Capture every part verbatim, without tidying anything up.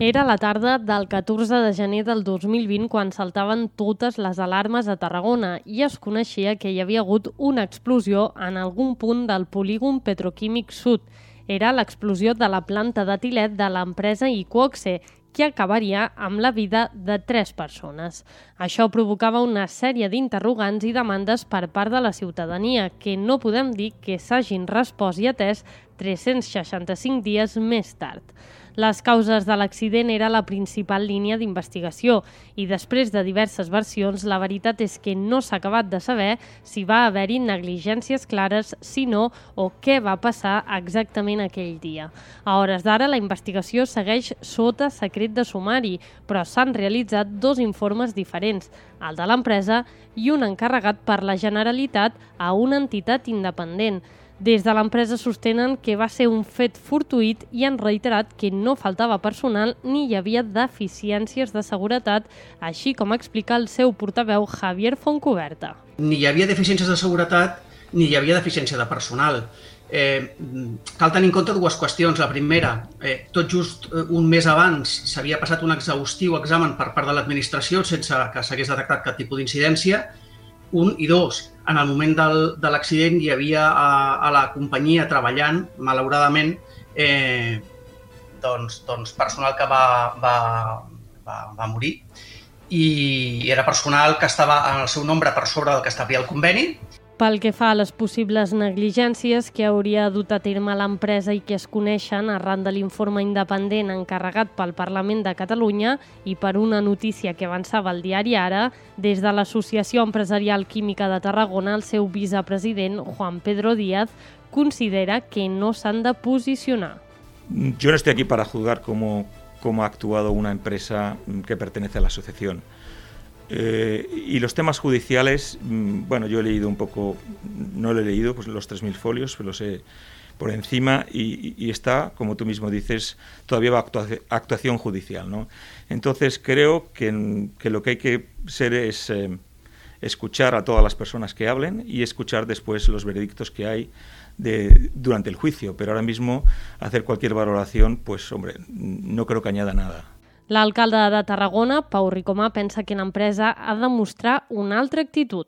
Era la tarda del catorze de gener del dos mil vint quan saltaven totes les alarmes a Tarragona i es coneixia que hi havia hagut una explosió en algun punt del polígon petroquímic sud. Era l'explosió de la planta d'etilet de l'empresa Iqoxe, que acabaria amb la vida de tres persones. Això provocava una sèrie d'interrogants i demandes per part de la ciutadania, que no podem dir que s'hagin respost i atès tres-cents seixanta-cinc dies més tard. Les causes de l'accident era la principal línia d'investigació i després de diverses versions, la veritat és que no s'ha acabat de saber si va haver-hi negligències clares, si no, o què va passar exactament aquell dia. A hores d'ara, la investigació segueix sota secret de sumari, però s'han realitzat dos informes diferents, el de l'empresa i un encarregat per la Generalitat a una entitat independent. Des de l'empresa sostenen que va ser un fet fortuït i han reiterat que no faltava personal ni hi havia deficiències de seguretat, així com explica el seu portaveu Javier Fontcuberta. Ni hi havia deficiències de seguretat ni hi havia deficiència de personal. Eh, cal tenir en compte dues qüestions. La primera, eh, tot just un mes abans s'havia passat un exhaustiu examen per part de l'administració sense que s'hagués detectat cap tipus d'incidència. Un i dos, en el moment del, de l'accident hi havia a, a la companyia treballant, malauradament, eh, doncs, doncs personal que va, va, va, va morir i era personal que estava en el seu nombre per sobre del que establia el conveni. Pel que fa a les possibles negligències que hauria dut a terme l'empresa i que es coneixen arran de l'informe independent encarregat pel Parlament de Catalunya i per una notícia que avançava el diari Ara, des de l'Associació Empresarial Química de Tarragona, el seu vicepresident, Juan Pedro Díaz, considera que no s'han de posicionar. Yo no estoy aquí para juzgar cómo, cómo ha actuado una empresa que pertenece a la asociación. Eh, y los temas judiciales, bueno, yo he leído un poco, no lo he leído, pues los tres mil folios, pero lo sé por encima y, y está, como tú mismo dices, todavía va actua- actuación judicial, ¿no? Entonces creo que, que lo que hay que ser es eh, escuchar a todas las personas que hablen y escuchar después los veredictos que hay de, durante el juicio, pero ahora mismo hacer cualquier valoración, pues hombre, no creo que añada nada. L'alcalde de Tarragona, Pau Ricomà, pensa que l'empresa ha de mostrar una altra actitud.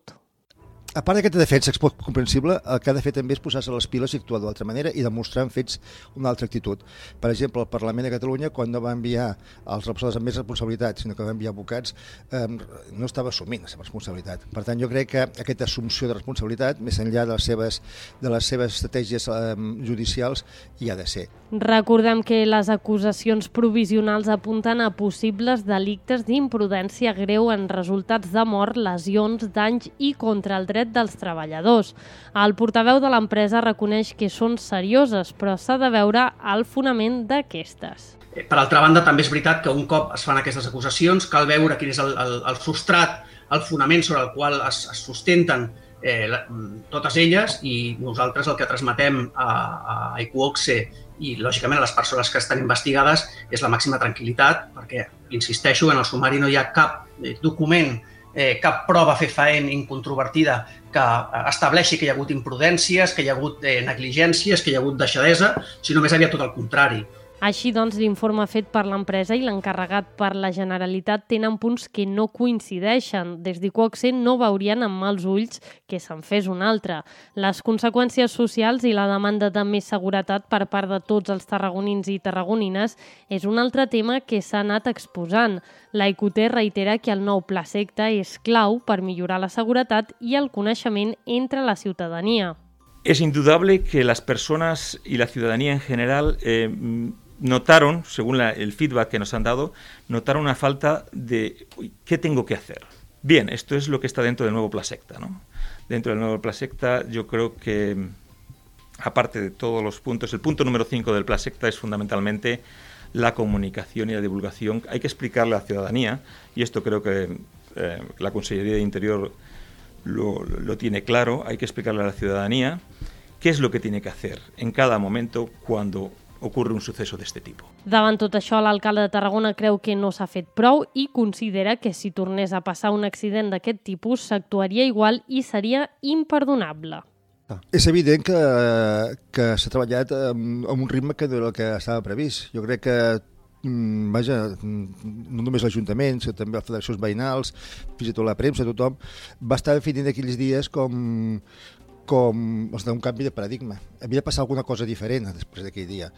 A part d'aquesta defensa comprensible, el que ha de fer també és posar-se les piles i actuar d'altra manera i demostrar en fets una altra actitud. Per exemple, el Parlament de Catalunya, quan no va enviar els representants amb més responsabilitat, sinó que va enviar advocats, eh, no estava assumint la seva responsabilitat. Per tant, jo crec que aquesta assumpció de responsabilitat, més enllà de les seves, de les seves estratègies eh, judicials, hi ha de ser. Recordem que les acusacions provisionals apunten a possibles delictes d'imprudència greu en resultats de mort, lesions, danys i contra el dret dels treballadors. El portaveu de l'empresa reconeix que són serioses, però s'ha de veure el fonament d'aquestes. Per altra banda, també és veritat que un cop es fan aquestes acusacions cal veure quin és el, el, el substrat, el fonament sobre el qual es, es sustenten eh, la, totes elles i nosaltres el que transmetem a, a Iqoxe i, lògicament, a les persones que estan investigades és la màxima tranquil·litat perquè, insisteixo, en el sumari no hi ha cap eh, document Eh, cap prova fefaent incontrovertida que estableixi que hi ha hagut imprudències, que hi ha hagut eh, negligències, que hi ha hagut deixadesa, sinó més aviat tot el contrari. Així doncs, l'informe fet per l'empresa i l'encarregat per la Generalitat tenen punts que no coincideixen. Des d'Iqoxe no veurien amb mals ulls que se'n fes un altre. Les conseqüències socials i la demanda de més seguretat per part de tots els tarragonins i tarragonines és un altre tema que s'ha anat exposant. La I Q T reitera que el nou pla secta és clau per millorar la seguretat i el coneixement entre la ciutadania. Es indudable que las personas y la ciudadanía en general eh, notaron, según la, el feedback que nos han dado, notaron una falta de uy, ¿qué tengo que hacer? Bien, esto es lo que está dentro del nuevo Plasecta, ¿no? Dentro del nuevo Plasecta yo creo que, aparte de todos los puntos, el punto número cinco del Plasecta es fundamentalmente la comunicación y la divulgación. Hay que explicarle a la ciudadanía, y esto creo que eh, la Consellería de Interior lo, lo tiene claro, hay que explicarle a la ciudadanía qué es lo que tiene que hacer en cada momento cuando ocurre un suceso d'este tipus. Davant tot això, l'alcalde de Tarragona creu que no s'ha fet prou i considera que si tornés a passar un accident d'aquest tipus s'actuaria igual i seria imperdonable. És evident que, que s'ha treballat amb, amb un ritme que no era el que estava previst. Jo crec que vaja, no només l'Ajuntament, sinó també les federacions veïnals, fins i tot la premsa, tothom, va estar definint aquells dies com com els d'un canvi de paradigma. Havia de passar alguna cosa diferent després d'aquell dia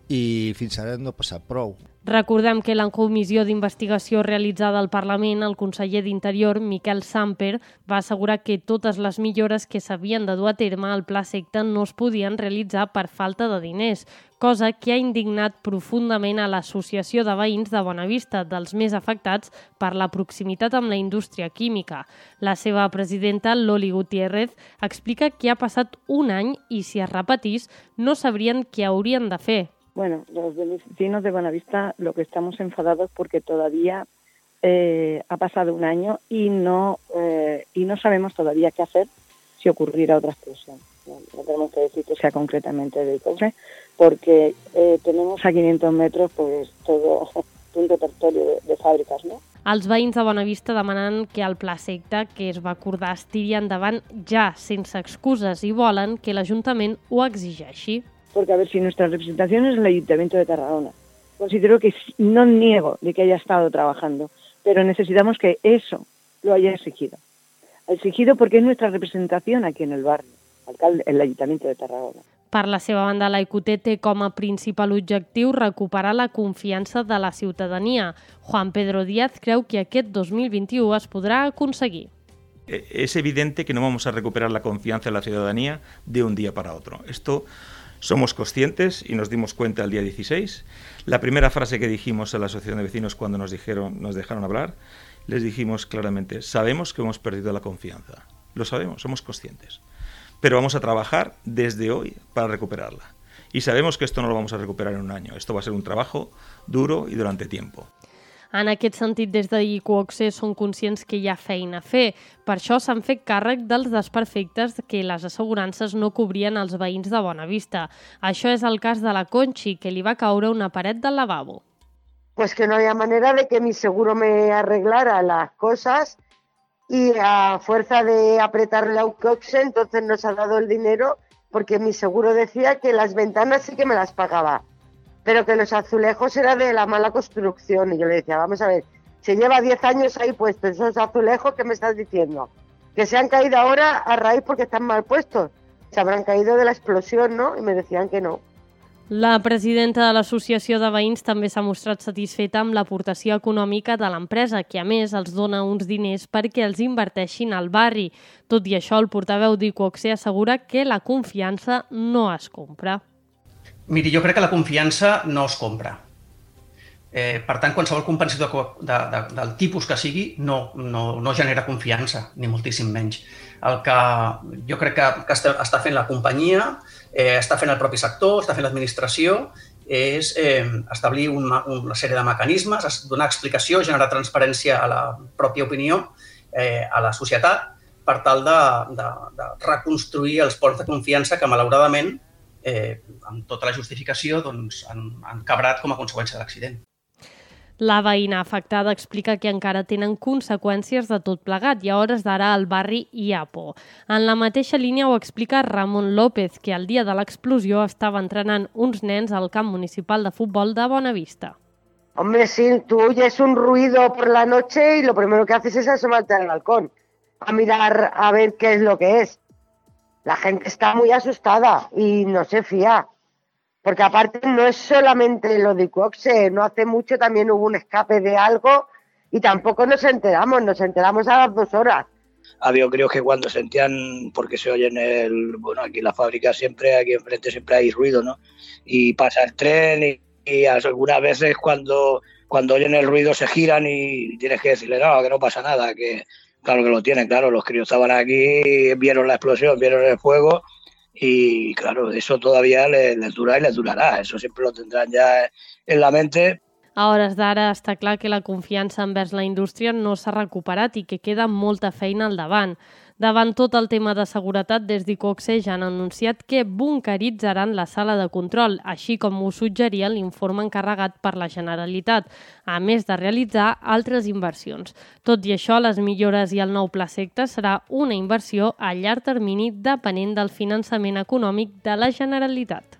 i fins ara no ha passat prou. Recordem que la comissió d'investigació realitzada al Parlament, el conseller d'Interior, Miquel Samper, va assegurar que totes les millores que s'havien de dur a terme al Pla Secta no es podien realitzar per falta de diners, cosa que ha indignat profundament a l'Associació de Veïns de Bonavista, dels més afectats per la proximitat amb la indústria química. La seva presidenta, Loli Gutiérrez, explica que ha passat un any i si es repetís no sabrien què haurien de fer. Bueno, los vecinos de Bonavista lo que estamos enfadados porque todavía eh, ha pasado un año y no eh, y no sabemos todavía qué hacer si ocurriera otra explosión. No, no tenemos que decir que sea concretamente de Icoxe, porque eh, tenemos a quinientos metros pues todo un repertorio de, de fàbriques, no? Els veïns de Bonavista demanen que el Pla Secta que es va acordar es tiri endavant ja, sense excuses, i volen que l'Ajuntament ho exigeixi. Porque, a ver, si nuestra representación es el Ayuntamiento de Tarragona, considero que no niego de que haya estado trabajando, pero necesitamos que eso lo haya exigido. Exigido porque es nuestra representación aquí en el barrio, alcalde, el Ayuntamiento de Tarragona. Per la seva banda, la I Q T té com a principal objectiu recuperar la confiança de la ciutadania. Juan Pedro Díaz creu que aquest dos mil vint-i-u es podrà aconseguir. Es evidente que no vamos a recuperar la confianza de la ciudadanía de un día para otro. Esto somos conscientes y nos dimos cuenta el día dieciséis. La primera frase que dijimos a la asociación de vecinos cuando nos dijeron, nos dejaron hablar, les dijimos claramente, sabemos que hemos perdido la confianza. Lo sabemos, somos conscientes. Pero vamos a trabajar desde hoy para recuperarla. Y sabemos que esto no lo vamos a recuperar en un año. Esto va a ser un trabajo duro y durante tiempo. En aquest sentit, des de Icoxe són conscients que hi ha feina a fer. Per això s'han fet càrrec dels desperfectes que les assegurances no cobrien als veïns de Bonavista. Això és el cas de la Conchi, que li va caure una paret del lavabo. Pues que no había manera de que mi seguro me arreglara las cosas y a fuerza de apretarle a Icoxe, entonces nos ha dado el dinero porque mi seguro decía que las ventanas sí que me las pagaba, pero que los azulejos era de la mala construcción. Y yo le decía, vamos a ver, se lleva diez años ahí puestos esos azulejos, ¿qué me estás diciendo? Que se han caído ahora a raíz porque están mal puestos. Se habrán caído de la explosión, ¿no? Y me decían que no. La presidenta de l'Associació de Veïns també s'ha mostrat satisfeta amb l'aportació econòmica de l'empresa, que a més els dona uns diners perquè els inverteixin al barri. Tot i això, el portaveu d'Icoxe assegura que la confiança no es compra. Miri, jo crec que la confiança no es compra. Eh, per tant, qualsevol compensador de, de, del tipus que sigui no, no, no genera confiança, ni moltíssim menys. El que jo crec que, que està, està fent la companyia, eh, està fent el propi sector, està fent l'administració, és eh, establir una, una sèrie de mecanismes, donar explicació, generar transparència a la pròpia opinió, eh, a la societat, per tal de, de, de reconstruir els ponts de confiança que, malauradament, eh, amb tota la justificació, doncs, han, han cabrat com a conseqüència de l'accident. La veïna afectada explica que encara tenen conseqüències de tot plegat i a hores d'ara al barri hi ha por. En la mateixa línia ho explica Ramon López, que el dia de l'explosió estava entrenant uns nens al camp municipal de futbol de Bonavista. Hombre, sí, tú oyes un ruido por la noche y lo primero que haces es asomarte al balcón a mirar a ver qué es lo que es. La gente está muy asustada y no se fía. Porque aparte no es solamente lo de Icoxe, no hace mucho también hubo un escape de algo y tampoco nos enteramos, nos enteramos a las dos horas. Había creo que cuando sentían, porque se oye en el, bueno, aquí en la fábrica siempre, aquí enfrente siempre hay ruido, ¿no? Y pasa el tren y, y algunas veces cuando, cuando oyen el ruido se giran y tienes que decirle, no, que no pasa nada, que claro que lo tienen, claro, los críos estaban aquí, vieron la explosión, vieron el fuego. Y claro, eso todavía les, les dura y les durarà, eso siempre lo tendrán ya en la mente. A hores d'ara està clar que la confiança envers la indústria no s'ha recuperat i que queda molta feina al davant. Davant tot el tema de seguretat, des d'Icoxe ja han anunciat que bunkeritzaran la sala de control, així com ho suggeria l'informe encarregat per la Generalitat, a més de realitzar altres inversions. Tot i això, les millores i el nou Pla Secta serà una inversió a llarg termini depenent del finançament econòmic de la Generalitat.